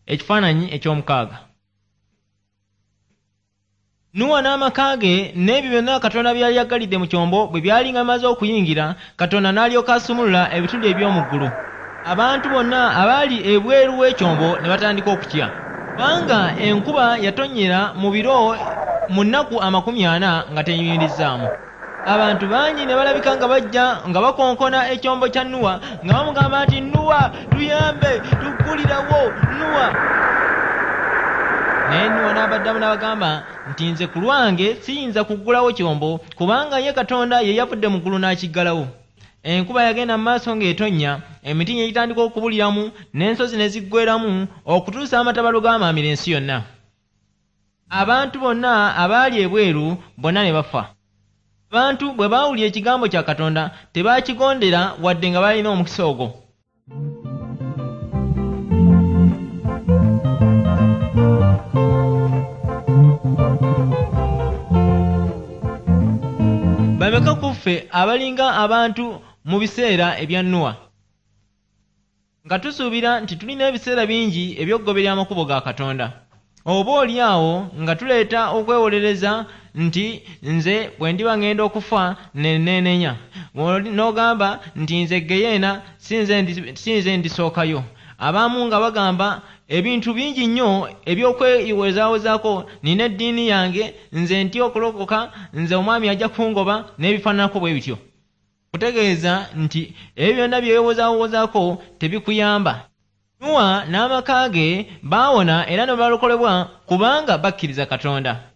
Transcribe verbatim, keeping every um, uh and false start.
Ekifaananyi eky'omukaaga. Nuwa n'amaka ge n'ebyo byonna Katonda bye yali agalidde mu kyombo bwe byali nga bimaze okuyingira, Katonda n'alyoka asumulula ebituli eby'omu ggulu. Abantu bonna abaali ebweru w'ekyombo ne batandika okutya, kubanga enkuba yatonnyera mu biro mu nnaku amakumi ana nga teyimirizzaamu. Abantu bangi ne balabika nga bajja nga bakonkona ekyombo kya Nuwa nga bamugamba nti, "Nuwa, tuyambe, tuggulirawo, Nuwa." Naye Nuwa n'abaddamu n'abagamba nti, "Nze ku lwange siyinza kuggulawo kyombo, kubanga ye Katonda ye yavudde mu ggulu n'akiggalawo." Enkuba yagenda mu maaso ng'etonnya, emiti ne gitandika okubuliramu, n'ensozi ne ziggweeramu, okutuusa amataba lwe gaamaamira ensi yonna. Abantu bonna abaali ebweru bonna ne bafa. Abantu bwe baawulira ekigambo kya Katonda tebaakigondera wadde nga baalina omukisa ogwo. Bameka ku ffe abalinga abantu mu biseera ebya Nuwa, nga tusuubira nti tulina ebiseera bingi eby'okugoberera amakubo ga Katonda, oba oli awo nga tuleeta okwewolereza nti nze bwe ndiba ŋŋenda okufa ne neenenya, n'ogamba nti nze Geyeena si nze ndisookayo. Abamu nga bagamba ebintu bingi nnyo eby'okwewozaawozaako, nina eddiini yange, nze ntya okulokoka, nze omwami ajja kungoba, n'ebifaananako bwe bityo. Kutegeeza nti ebyo byonna bye weewozaawozaako tebikuyamba. Nuwa n'amaka ge baawona era ne balokolebwa kubanga bakkiriza Katonda.